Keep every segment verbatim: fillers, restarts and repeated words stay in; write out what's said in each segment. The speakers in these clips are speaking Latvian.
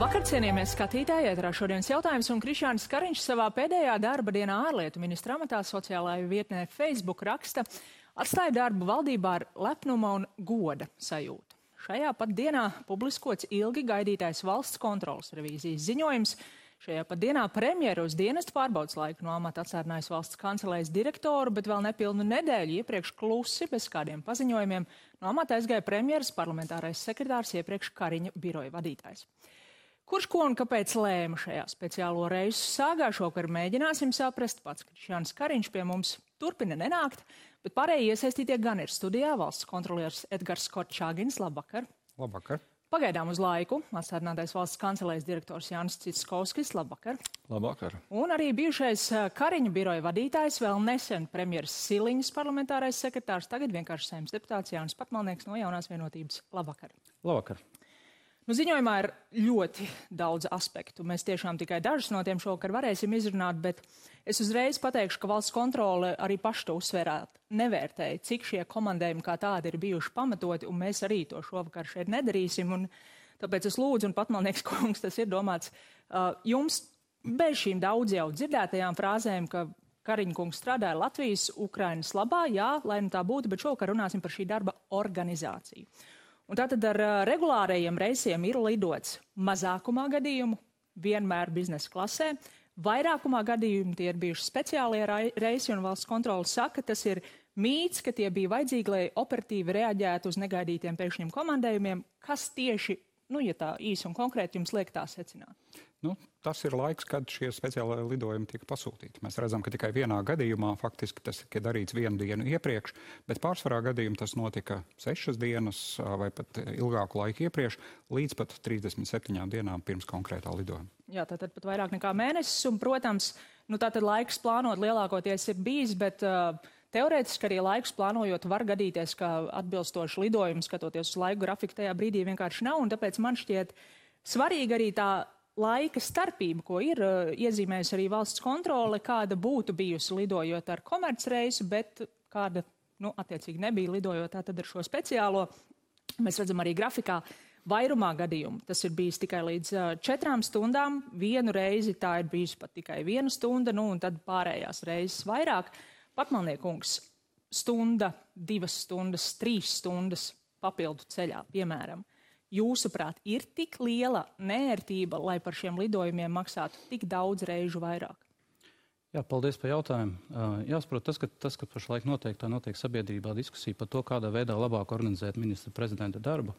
Labvakar, cienījamies skatītāji, ēterā šodienas jautājums, un Krišjānis Kariņš savā pēdējā darba dienā ārlietu ministra amatā sociālajā vietnē Facebook raksta: atstāja darbu valdībā ar lepnuma un goda sajūtu. Šajā pat dienā publiskots ilgi gaidītais valsts kontrolas revīzijas ziņojums. Šajā pat dienā premjeru uz dienestu pārbaudas laiku no amata atstādinājis valsts kancelējas direktoru, bet vēl nepilnu nedēļu iepriekš klusi, bez kādiem paziņojumiem, no amata aizgāja premjeras parlamentārais sekretārs, iepriekš Kariņa biroja vadītājs. Kurš ko un kāpēc lēma šajā speciālo reisu sāgā, šovakar mēģināsim saprast. Pats Krišjānis Kariņš pie mums turpina nenākt, bet pārējie iesaistītie gan ir studijā. Valsts kontrolieris Edgars Korčāgins, labvakar. Labvakar. Pagaidām uz laiku atstādinātais valsts kancelējas direktors Jānis Citskovskis, labvakar. Labvakar. Un arī bijušais Kariņa biroja vadītājs, vēl nesen premjeras Siliņas parlamentārais sekretārs, tagad vienkārši Saeimas deputāts Jānis Patmalnieks no Jaunās vienotības. Labvakar. Labvakar. Nu, ziņojumā ir ļoti daudz aspektu. Mēs tiešām tikai dažus no tiem šovakar varēsim izrunāt, bet es uzreiz pateikšu, ka valsts kontrole arī paši to uzsvērāt, nevērtēja, cik šie komandējumi kā tādi ir bijuši pamatoti, un mēs arī to šovakar šeit nedarīsim. Un tāpēc es lūdzu, un Patmalnieks kungs, tas ir domāts uh, jums bez šīm daudz jau dzirdētajām frāzēm, ka Kariņa kungs strādāja Latvijas, Ukrainas labā, jā, lai nu tā būtu, bet šovakar runāsim par šī darba organizāciju. Un tātad ar regulārajiem reisiem ir lidots mazākumā gadījumu, vienmēr biznesa klasē. Vairākumā gadījumu tie ir bijuši speciālie reisi, un valsts kontrole saka, tas ir mīts, ka tie bija vajadzīgi, lai operatīvi reaģētu uz negaidītiem pēkšņiem komandējumiem. Kas tieši, nu, ja tā īsi un konkrēti jums liek tā secināt? Nu, tas ir laiks, kad šie speciālai lidojumi tika pasūtīti. Mēs redzam, ka tikai vienā gadījumā faktiski tas tika darīts vienu dienu iepriekš, bet pārsvarā gadījumu tas notika sešas dienas vai pat ilgāku laiku iepriekš, līdz pat trīsdesmit septiņām dienām pirms konkrētā lidojuma. Jā, tātad pat vairāk nekā mēnesis, un, protams, nu, tātad laiks plānot lielākoties ir bijis, bet uh, teorētiski arī laiks plānojot var gadīties, ka atbilstoši lidojumu, skatoties uz laiku grafiku, tajā brīdī vienkārši nav, un tāpēc man šķiet svarīgi arī tā laika starpība, ko ir uh, iezīmējusi arī valsts kontrole, kāda būtu bijusi lidojot ar komercreisu, bet kāda, nu, attiecīgi nebija lidojot tātad ar šo speciālo. Mēs redzam arī grafikā vairumā gadījumu. Tas ir bijis tikai līdz uh, četrām stundām. Vienu reizi tā ir bijusi pat tikai viena stunda, nu, un tad pārējās reizes vairāk. Patmalniekungs, stunda, divas stundas, trīs stundas papildu ceļā, piemēram. Jūsuprāt, ir tik liela neērtība, lai par šiem lidojumiem maksātu tik daudz reižu vairāk? Jā, paldies par jautājumu. Jāsaprot, tas, ka, tas, ka pašlaik notiek, tā notiek sabiedrībā diskusija par to, kādā veidā labāk organizēt ministra prezidenta darbu.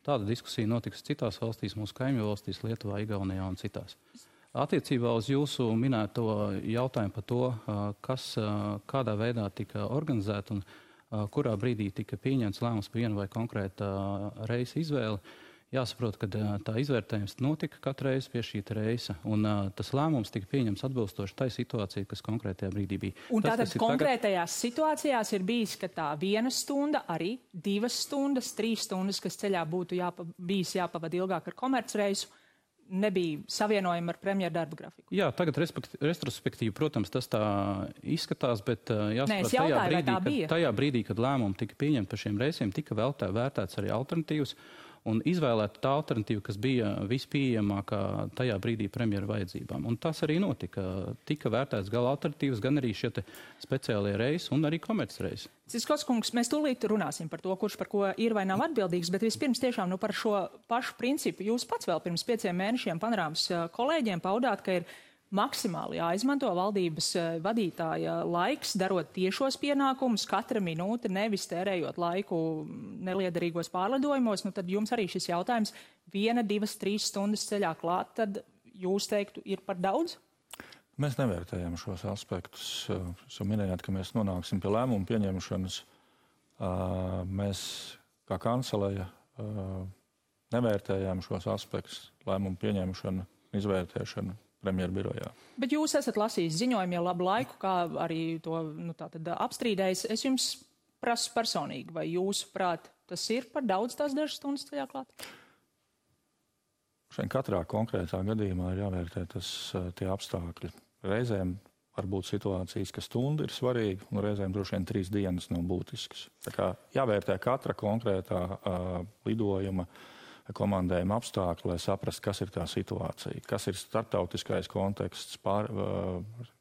Tāda diskusija notiks citās valstīs, mūsu kaimiņu valstīs, Lietuvā, Igaunijā un citās. Attiecībā uz jūsu minēto jautājumu par to, kas kādā veidā tika organizēta un kurā brīdī tika pieņemts lēmums par vienu vai konkrēta reisa izvēli, jāsaprot, ka tā izvērtējums notika katru reizi pie šī reisa, un tas lēmums tika pieņemts atbilstoši tai situācijai, kas konkrētajā brīdī bija. Un tātad tas, konkrētajās tagad... situācijās ir bijis, ka tā viena stunda, arī divas stundas, trīs stundas, kas ceļā būtu jāpa, bijis jāpavada ilgāk ar komercreisu, nebija savienojama ar premjeru darba grafiku. Jā, tagad retrospektīvi, protams, tas tā izskatās, bet jāsaprot, Nē, tajā, brīdī, kad, tajā brīdī, kad lēmumi tika pieņemti par šiem reisiem, tika vēl tā vērtēts arī alternatīvas un izvēlēta tā alternatīva, kas bija vispieejamākā tajā brīdī premjera vajadzībām. Un tas arī notika. Tika vērtēts gan alternatīvas, gan arī šie speciālie reisi un arī komercreisi. Citskovskungs, mēs tūlīt runāsim par to, kurš par ko ir vai nav atbildīgs, bet vispirms tiešām nu, par šo pašu principu. Jūs pats vēl pirms pieciem mēnešiem Panorāmas kolēģiem paudāt, ka ir maksimāli jāizmanto valdības vadītāja laiks, darot tiešos pienākumus, katra minūte, nevis tērējot laiku neliederīgos pārlidojumos. Nu, tad jums arī šis jautājums viena, divas, trīs stundas ceļā klāt, tad jūs teiktu, ir par daudz? Mēs nevērtējam šos aspektus. Jūs minējāt, ka mēs nonāksim pie lēmumu pieņemšanas. Mēs, kā kanceleja, nevērtējam šos aspektus, lēmumu pieņemšanu, izvērtēšanu premjeru birojā. Bet jūs esat lasījis ziņojumu jau labu laiku, kā arī to nu, tātad apstrīdējis. Es jums prasu personīgi, vai jūsuprāt, tas ir par daudz tās dažas stundas ceļā klāt? Šeit katrā konkrētā gadījumā ir jāvērtē tas, tie apstākļi. Reizēm var būt situācijas, ka stunda ir svarīga, un reizēm droši vien trīs dienas nav būtiskas. Tā kā jāvērtē katra konkrētā uh, lidojuma komandējuma apstākļi, lai saprastu, kas ir tā situācija, kas ir starptautiskais konteksts, pār,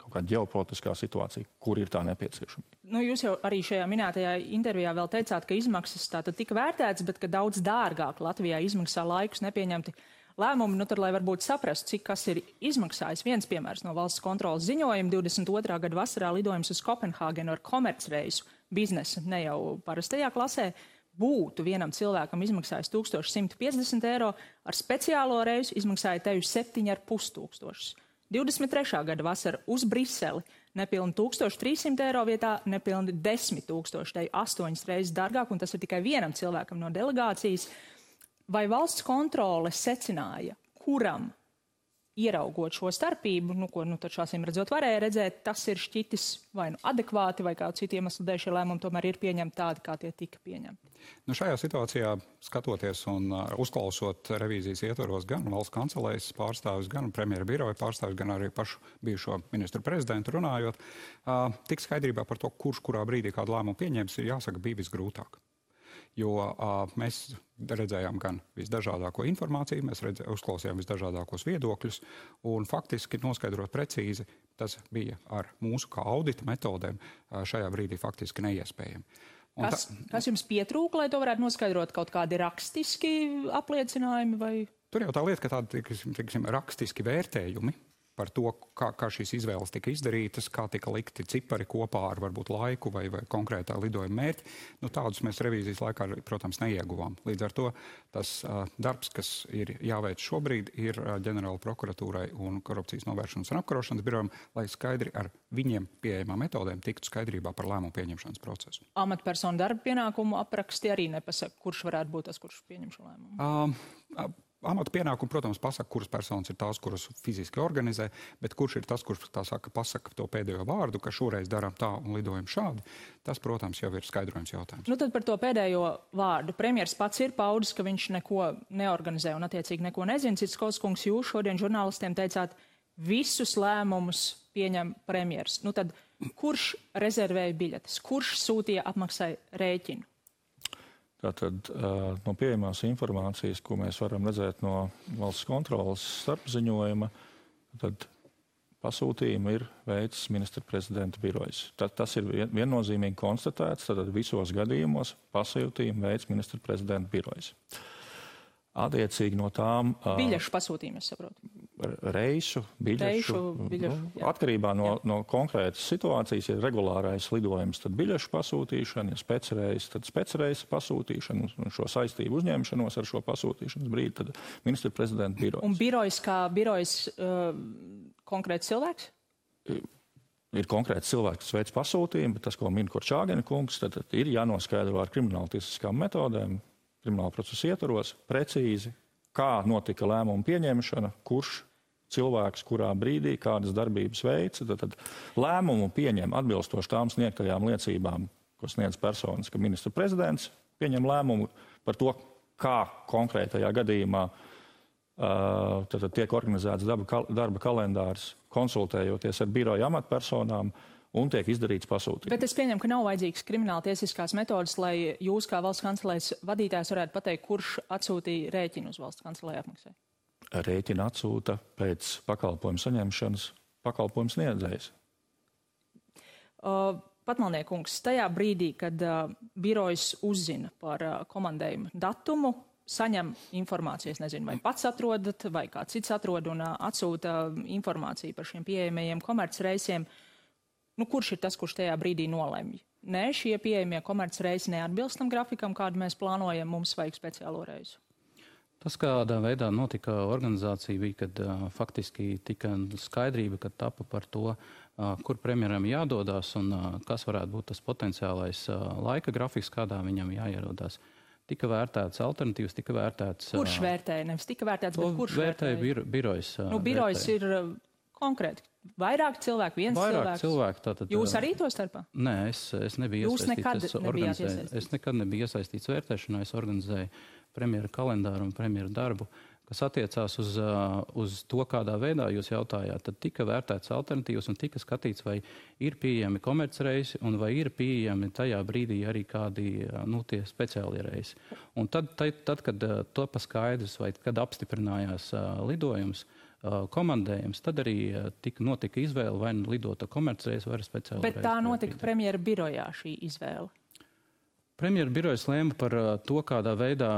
kaut kāda ģeopolitiskā situācija, kur ir tā nepieciešama. Nu, jūs jau arī šajā minētajā intervijā vēl teicāt, ka izmaksas tātad tika vērtētas, bet ka daudz dārgāk Latvijā izmaksā laikus nepieņemti lēmumi. Nu, tad, lai varbūt saprastu, cik kas ir izmaksājis, viens piemērs no valsts kontrolas ziņojuma divdesmit otrā gada vasarā lidojums uz Kopenhāgenu ar komercreisu biznesa, ne jau parastajā klasē, būtu vienam cilvēkam izmaksājis tūkstoš simt piecdesmit eiro, ar speciālo reisu izmaksāja teju septiņi ar pus tūkstošus. divdesmit trešā gada vasara uz Briseli nepilni tūkstoš trīssimt eiro vietā, nepilni desmit tūkstoši, teju astoņas reizes dārgāk, un tas ir tikai vienam cilvēkam no delegācijas. Vai valsts kontrole secināja, kuram ieraugot šo starpību, nu, ko nu, tad šāsim redzot varēja redzēt, tas ir šķitis vai nu adekvāti, vai kādu citu iemeslu dēļ šie lēmumi tomēr ir pieņemti tādi, kā tie tika pieņemti? Nu, šajā situācijā, skatoties un uh, uzklausot revīzijas ietvaros gan valsts kancelējas pārstāvis, gan premjera biroja pārstāvis, gan arī pašu bijušo ministru prezidentu runājot, uh, tik skaidrībā par to, kurš kurā brīdī kādu lēmumu pieņems, ir jāsaka, bija visgrūtāk. Jo uh, mēs redzējām gan visdažādāko informāciju, mēs redzē, uzklausījām visdažādākos viedokļus, un faktiski noskaidrot precīzi, tas bija ar mūsu kā audita metodēm uh, šajā brīdī faktiski neiespējami. Un kas, ta, kas jums pietrūka, lai to varētu noskaidrot? Kaut kādi rakstiski apliecinājumi? Vai? Tur jau tā lieta, ka tādi tiksim, tiksim, rakstiski vērtējumi par to, kā, kā šīs izvēles tika izdarītas, kā tika likti cipari kopā ar varbūt laiku vai, vai konkrētā lidojuma mērķi. Nu, tādus mēs revīzijas laikā, protams, neieguvām. Līdz ar to tas uh, darbs, kas ir jāveic šobrīd, ir uh, ģenerāla prokuratūrai un korupcijas novēršanas un apkarošanas birojam, lai skaidri ar viņiem pieejamām metodēm tiktu skaidrībā par lēmumu pieņemšanas procesu. Amatpersonu darba pienākumu apraksti arī nepasaka, kurš varētu būt tas, kurš pieņem šo lēmumu? Uh, uh, Amata pienākumi, protams, pasaka, kuras personas ir tās, kuras fiziski organizē, bet kurš ir tas, kurš tā saka, pasaka to pēdējo vārdu, ka šoreiz darām tā un lidojam šādi, tas, protams, jau ir skaidrojums jautājums. Nu tad par to pēdējo vārdu. Premjers pats ir paudis, ka viņš neko neorganizē un attiecīgi neko nezina. Citskovs kungs, jūs šodien žurnālistiem teicāt, visus lēmumus pieņem premjers. Nu tad kurš rezervēja biļetes? Kurš sūtīja apmaksai rēķinu? Tātad no pieejamās informācijas, ko mēs varam redzēt no valsts kontrolas starpziņojuma, tad pasūtījumu ir veicis ministra prezidenta birojas. Tad, tas ir viennozīmīgi konstatēts, tad visos gadījumos pasūtījumu veicis ministra prezidenta birojas. Attiecīgi no tām... Biļešu pasūtījumu, es saprotu. Reisu, biļešu. Reišu, biļešu, nu, atkarībā no, no konkrētas situācijas, ja regulārais lidojums, tad biļešu pasūtīšana, ja specreis, tad specreisa pasūtīšana un šo saistību uzņemšanos ar šo pasūtīšanas brīdi, tad ministra prezidenta birojas. Un birojas kā birojas uh, konkrēts cilvēks? Ir konkrēts cilvēks, kas veic pasūtījumu, bet tas, ko min Korčāgena kungs, tad, tad ir jānoskaidro ar krimināltiesiskām metodēm, krimināla procesa ietvaros, precīzi, kā notika lēmuma pieņemšana, kurš cilvēks, kurā brīdī, kādas darbības veica. Tad, tad lēmumu pieņem atbilstoši tām sniegtajām liecībām, ko sniedz personas, ka ministra prezidents pieņem lēmumu par to, kā konkrētajā gadījumā uh, tad, tad tiek organizēts darba, darba kalendārs, konsultējoties ar biroja amatpersonām, un tiek izdarīts pasūtījums. Bet es pieņemu, ka nav vajadzīgas krimināla tiesiskās metodas, lai jūs kā valsts kancelējas vadītājs varētu pateikt, kurš atsūtīja rēķinu uz valsts kancelēju apmaksai. Rēķinu atsūta pēc pakalpojumu saņemšanas pakalpojumu sniedzējs. Uh, Patmalniekungs, tajā brīdī, kad uh, birojas uzzina par uh, komandējumu datumu, saņem informāciju, es nezinu, vai pats atrodat, vai kāds cits atrod un uh, atsūta informāciju par šiem pieejamajiem komercreisiem. Nu, kurš ir tas, kurš tajā brīdī nolemj? Nē, šie pieejamie komercreisi neatbilst tam grafikam, kādu mēs plānojam, mums vajag speciālo reisu. Tas, kādā veidā notika organizācija, bija, kad uh, faktiski tika skaidrība, kad tapa par to, uh, kur premjeram jādodas un uh, kas varētu būt tas potenciālais uh, laika grafiks, kādā viņam jāierodās. Tika vērtēts alternatīvas, tika vērtēts... Uh, kurš vērtēja? Nevis tika vērtēts, bet kurš vērtēja? Vērtēja birojas. Uh, nu, birojas ir uh, konkrēti. Vairāk cilvēku, viens Vairāk cilvēks. Cilvēku, tātad, Jūs arī to starpā? Nē, es, es nebiju Jūs iesaistīts. Jūs nekad nebijāt iesaistīts? Es nekad nebiju iesaistīts vērtēšanā. Es organizēju premjera kalendāru un premjera darbu. kas attiecās uz, uz to, kādā veidā jūs jautājāt, tad tika vērtēts alternatīvas un tika skatīts, vai ir pieejami komercreisi un vai ir pieejami tajā brīdī arī kādi nu, tie speciāli reisi. Un tad, tad, tad kad to paskaidrs vai kad apstiprinājās lidojums, komandējums, tad arī tika, notika izvēle vai nu lidot ar komercreisi vai ar speciāli reisi. Bet tā notika premjera birojā šī izvēle? Premjera birojas lēma par to, kādā veidā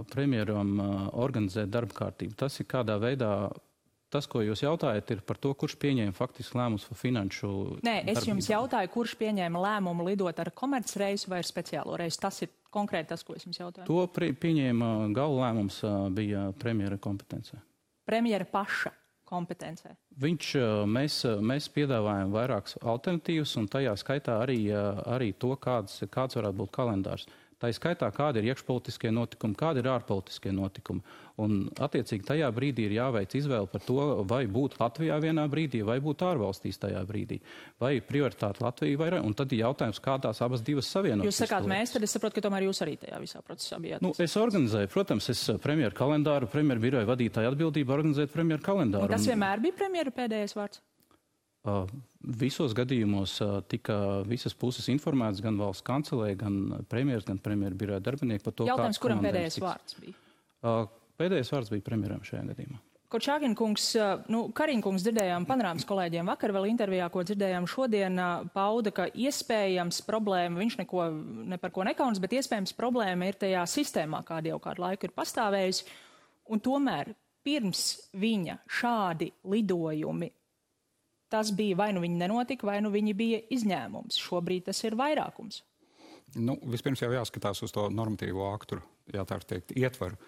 premjeram organizēt darba kārtību. Tas ir kādā veidā, tas, ko jūs jautājat, ir par to, kurš pieņēma faktiski lēmumus par finanšu Nē, es darbību. jums jautāju, kurš pieņēma lēmumu lidot ar komercreisu vai ar speciālo reisu. Tas ir konkrēti tas, ko es jums jautāju. To pieņēma gala lēmums bija premjera kompetencē. Premjera paša kompetencē. Viņš, mēs, mēs piedāvājam vairākas alternatīvas un tajā skaitā arī, arī to, kāds, kāds varētu būt kalendārs. Tā ir skaitā, kādi ir iekšpolitiskie notikumi, kādi ir ārpolitiskie notikumi. Un, attiecīgi, tajā brīdī ir jāveic izvēle par to, vai būt Latvijā vienā brīdī, vai būt ārvalstīs tajā brīdī. Vai prioritāte Latvija, vai... Un tad ir jautājums, kā tās abas divas savienot. Jūs sakāt mēs, tad es saprotu, ka tomēr jūs arī tajā visā procesā bijāt. Nu, es organizēju, protams, es premjeru kalendāru, premjeru biroja vadītāju atbildību organizēt premjeru kalendāru. Un tas vienmēr bija premjera pēdējais vārds? Uh, visos gadījumos uh, tika visas puses informētas, gan valsts kancelē, gan premjeras, gan premjeru biroja darbinieki par to, jautājums, kuram pēdējais tiks. vārds bija? Uh, pēdējais vārds bija premjeram šajā gadījumā. Korčāgina kungs, nu, Kariņa kungs dzirdējām panorāmas kolēģiem vakar vēl intervijā, ko dzirdējām šodien, pauda, ka iespējams problēma, viņš neko, ne par ko nekaunas, bet iespējams problēma ir tajā sistēmā, kāda jau kādu laiku ir pastāvējusi. Un tomēr pirms viņa šādi lidojumi, tas bija vai nu viņi nenotika, vai nu viņi bija izņēmums. Šobrīd tas ir vairākums. Nu, vispirms jau jāskatās uz to normatīvo aktu, jā, tā teikt, ietvaru.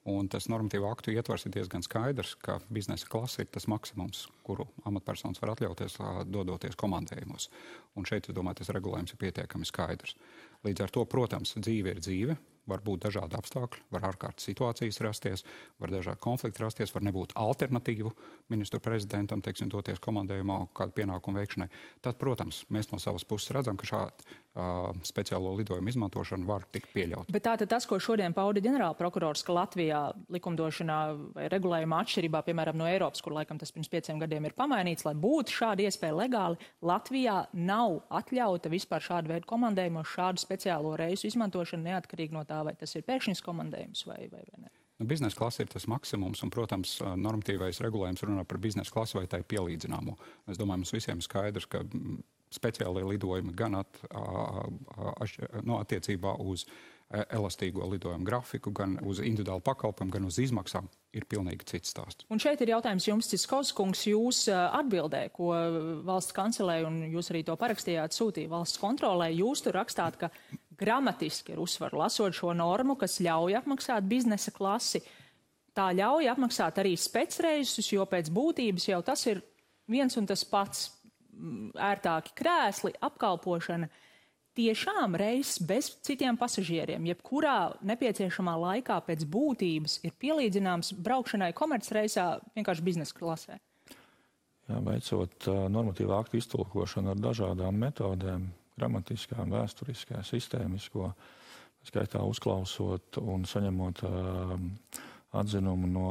Un tas normatīvo aktu ietvars ir diezgan skaidrs, ka biznesa klase ir tas maksimums, kuru amatpersonas var atļauties dodoties komandējumos. Un šeit, es domāju, tas regulējums ir pietiekami skaidrs. Līdz ar to, protams, dzīve ir dzīve, var būt dažādi apstākļi, var ārkārtas situācijas rasties, var dažādi konflikti rasties, var nebūt alternatīvu ministru prezidentam, teiksim, doties komandējumā kādu pienākumu veikšanai. Tad, protams, mēs no savas puses redzam, ka šādu uh, speciālo lidojumu izmantošanu var tikt pieļaut. Bet tātad tas, ko šodien pauda ģenerālprokurors, ka Latvijā likumdošanā vai regulējuma atšķirībā, piemēram, no Eiropas, kur laikam tas pirms pieciem gadiem ir pamainīts, lai būtu šāda iespēja legāli, Latvijā nav atļauta vispār šādu veidu komandējumos, šādu speciālo reisu izmantošanu neatkarīgi no tā, vai tas ir pēkšņs komandējums vai, vai, vai ne. Nu, biznesa klase ir tas maksimums, un, protams, normatīvais regulējums runā par biznesa klasi vai tai pielīdzināmo. Es domāju, mums visiem skaidrs, ka speciālie lidojumi gan at, a, a, a, no attiecībā uz elastīgo lidojumu grafiku, gan uz individuālu pakalpojumu, gan uz izmaksām ir pilnīgi cits stāsts. Un šeit ir jautājums jums, Ciskovs kungs, jūs atbildē, ko valsts kancelē, un jūs arī to parakstījāt, sūtīja valsts kontrolē. Jūs tur rakstāt, ka gramatiski ir uzsvaru lasot šo normu, kas ļauj apmaksāt biznesa klasi. Tā ļauj apmaksāt arī specreisus, jo pēc būtības jau tas ir viens un tas pats ērtāki krēsli, apkalpošana. Tiešām reizes bez citiem pasažieriem, jebkurā nepieciešamā laikā pēc būtības ir pielīdzināms braukšanai komercreisā vienkārši biznesa klasē. Jā, veicot uh, normatīvā aktu iztulkošanu ar dažādām metodēm, gramatiskām, vēsturiskā, sistēmisko, skaitā uzklausot un saņemot uh, atzinumu no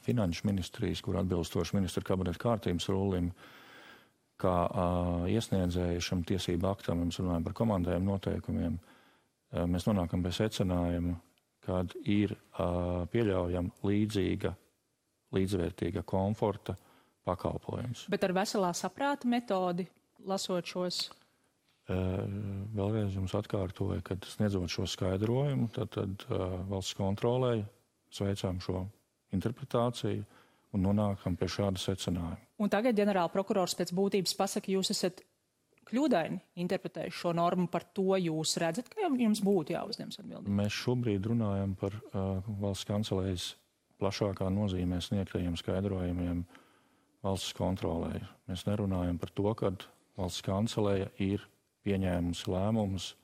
Finanšu ministrijas, kur atbilstoši ministra kabineta kārtības rulim, kā uh, iesniedzēju šam tiesību aktam, mēs runājam par komandējumu noteikumiem, uh, mēs nonākam pie secinājuma, kad ir uh, pieļaujama līdzīga, līdzvērtīga komforta pakalpojums. Bet ar veselā saprāta metodi, lasot šos? Uh, vēlreiz jums atkārtoju, kad sniedzot šo skaidrojumu, tad, tad uh, valsts kontrolē sveicām šo interpretāciju un nonākam pie šāda secinājuma. Un tagad ģenerāla prokurors pēc būtības pasaka, jūs esat kļūdaini interpretējuši šo normu, par to jūs redzat, ka jums būtu jāuzņems atbildība? Mēs šobrīd runājam par uh, valsts kancelējas plašākā nozīmē sniegtajiem skaidrojumiem valsts kontrolē. Mēs nerunājam par to, kad valsts kancelēja ir pieņēmusi lēmumus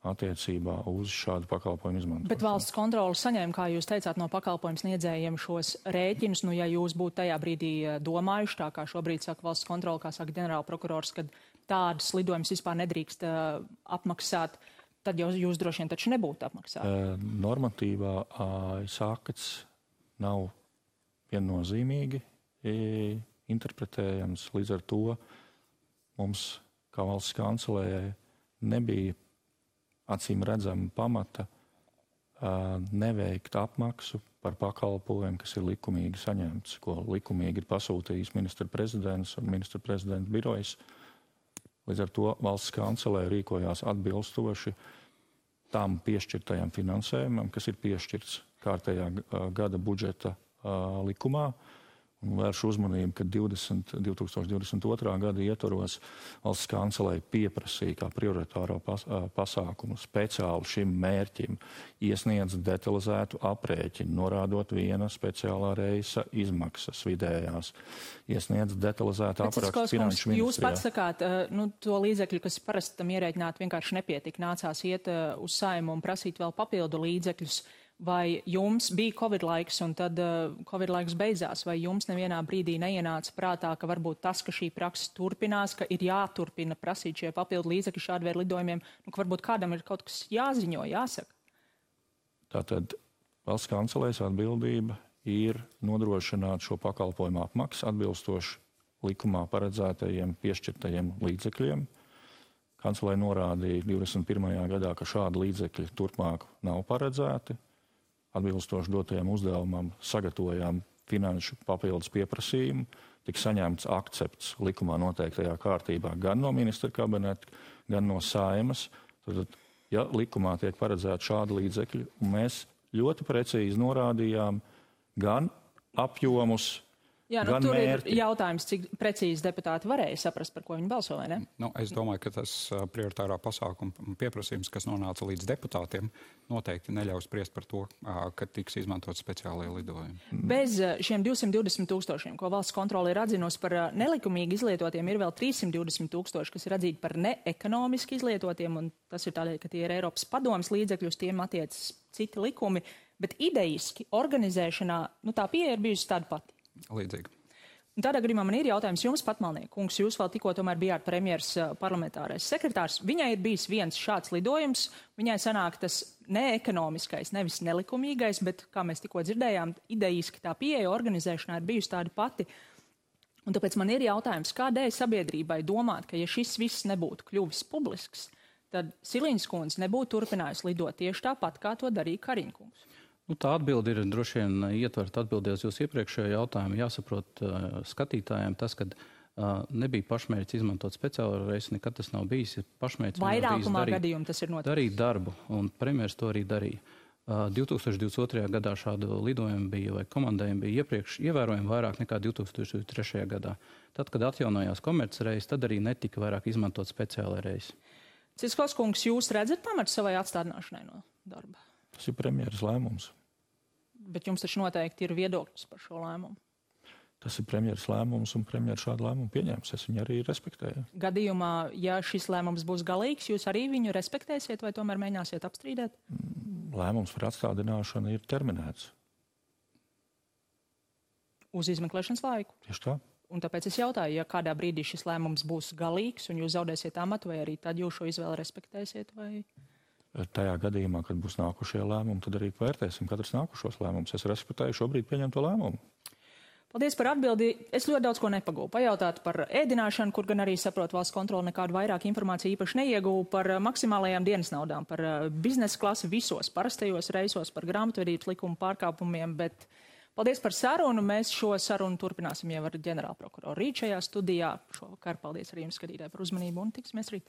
attiecībā uz šādu pakalpojumu izmantošanu. Bet valsts kontrole saņēma, kā jūs teicāt, no pakalpojumu sniedzējiem šos rēķinus. Nu, ja jūs būtu tajā brīdī domājuši, tā kā šobrīd saka valsts kontrole, kā saka ģenerāla prokurors, kad tādas lidojumus vispār nedrīkst uh, apmaksāt, tad jau jūs droši vien taču nebūtu apmaksāt. Uh, normatīvā uh, sākats nav viennozīmīgi interpretējams. Līdz ar to mums, kā valsts kancelējai, nebija acīm redzama pamata uh, neveikt apmaksu par pakalpojumu, kas ir likumīgi saņemts, ko likumīgi ir pasūtījis ministra prezidents un ministra prezidenta birojas. Līdz ar to valsts kancelē rīkojās atbilstoši tam piešķirtajam finansējumam, kas ir piešķirts kārtējā uh, gada budžeta uh, likumā. Un vēršu uzmanību, ka divdesmit, divtūkstoš divdesmit otrā gada ietvaros valsts kancelei pieprasīja kā prioritāro pas, pasākumu speciāli šim mērķim iesniedz detalizētu aprēķinu, norādot viena speciālā reisa izmaksas vidējās. Iesniedz detalizētu aprakstu finanšu ministrijā. Jūs pats sakāt, nu, to līdzekļu, kas parasti tam ierēķināt, vienkārši nepietika. Nācās iet uz Saimu un prasīt vēl papildu līdzekļus. Vai jums bija Covid laiks un tad uh, Covid laiks beidzās, vai jums nevienā brīdī neienāca prātā, ka varbūt tas, ka šī praksa turpinās, ka ir jāturpina prasīt šie papildu līdzekļi šādu veidu lidojumiem, nu, ka varbūt kādam ir kaut kas jāziņo, jāsaka? Tātad valsts kancelēs atbildība ir nodrošināt šo pakalpojumu apmaksu atbilstoši likumā paredzētajiem piešķirtajiem līdzekļiem. Kancelē norādīja divdesmit pirmajā gadā, ka šādi līdzekļi turpmāk nav paredzēti. Atbilstoši dotajam uzdevumam sagatavojām finanšu papildus pieprasījumu, tika saņemts akcepts likumā noteiktajā kārtībā gan no ministra kabineta, gan no Saimas. Tad, ja likumā tiek paredzēti šādi līdzekļi, un mēs ļoti precīzi norādījām gan apjomus, Jā, nu, gan tur mērķi. Ir jautājums, cik precīzi deputāti varēja saprast, par ko viņi balso, vai ne? Nu, es domāju, ka tas prioritārā pasākuma pieprasījums, kas nonāca līdz deputātiem, noteikti neļaus spriest par to, ka tiks izmantot speciālajie lidojumi. Bez šiem divsimt divdesmit tūkstošiem, ko valsts kontrole ir atzinusi par nelikumīgi izlietotiem, ir vēl trīssimt divdesmit tūkstoši, kas ir atzīti par neekonomiski izlietotiem, un tas ir tādēļ, ka tie ir Eiropas padomes līdzekļi, uz tiem attiecas citi likumi, bet idejiski organizēšanā, nu, tā pieeja ir bijusi tāda pati. Līdzīgi. Un tādā gadījumā man ir jautājums jums, Patmalniek kungs, jūs vēl tikko tomēr bijāt premjeras parlamentārais sekretārs. Viņai ir bijis viens šāds lidojums, viņai sanāk tas neekonomiskais, nevis nelikumīgais, bet, kā mēs tikko dzirdējām, idejiski tā pieeja organizēšanā ir bijusi tāda pati. Un tāpēc man ir jautājums, kādēļ sabiedrībai domāt, ka ja šis viss nebūtu kļuvis publisks, tad Siliņas kundze nebūtu turpinājusi lidot tieši tāpat, kā to darīja Kariņa kungs. Nu, tā atbilde ir droši vien ietvert atbildēt uz jūsu iepriekšējo jautājumu. Jāsaprot uh, skatītājiem tas, ka uh, nebija pašmērķis izmantot speciālo reisi, nekad tas nav bijis. Pašmērķis Vairākumā gadījumu tas ir noticis. Darīt darbu, un premjeras to arī darīja. Uh, divtūkstoš divdesmit otrajā gadā šādu lidojumu bija, vai komandējumu bija iepriekš ievērojami vairāk nekā divtūkstoš divdesmit trešajā gadā. Tad, kad atjaunojās komercreisi, tad arī netika vairāk izmantot speciālai reisi. Ciskos kungs, jūs redzat pamatu savai atstādināšanai no darba? Tas ir premjeras lēmums. Bet jums taču noteikti ir viedoklis par šo lēmumu. Tas ir premjeras lēmums, un premjeras šādu lēmumu pieņems. Es viņu arī respektēju. Gadījumā, ja šis lēmums būs galīgs, jūs arī viņu respektēsiet vai tomēr mēģināsiet apstrīdēt? Lēmums par atstādināšanu ir terminēts. Uz izmeklēšanas laiku? Tieši tā. Un tāpēc es jautāju, ja kādā brīdī šis lēmums būs galīgs un jūs zaudēsiet amatu, vai arī tad jūs šo izvēli respektēsiet? Vai... Tajā gadījumā, kad būs nākušie lēmumi, tad arī vērtēsim katrs nākušos lēmumus. Es respektēju šobrīd pieņemto lēmumu. Paldies par atbildi. Es ļoti daudz ko nepagūvu. Pajautāt par ēdināšanu, kur gan arī saprot valsts kontroli nekādu vairāk informāciju īpaši neiegūvu, par maksimālajām dienas naudām, par biznesa klasi visos parastajos reisos, par grāmatvedības likumu pārkāpumiem, bet paldies par sarunu. Mēs šo sarunu turpināsim jau ar ģenerālprokuroru rīt šajā studijā. Šovakar paldies arī jums, skatītāji, par uzmanību un tiksimies rīt.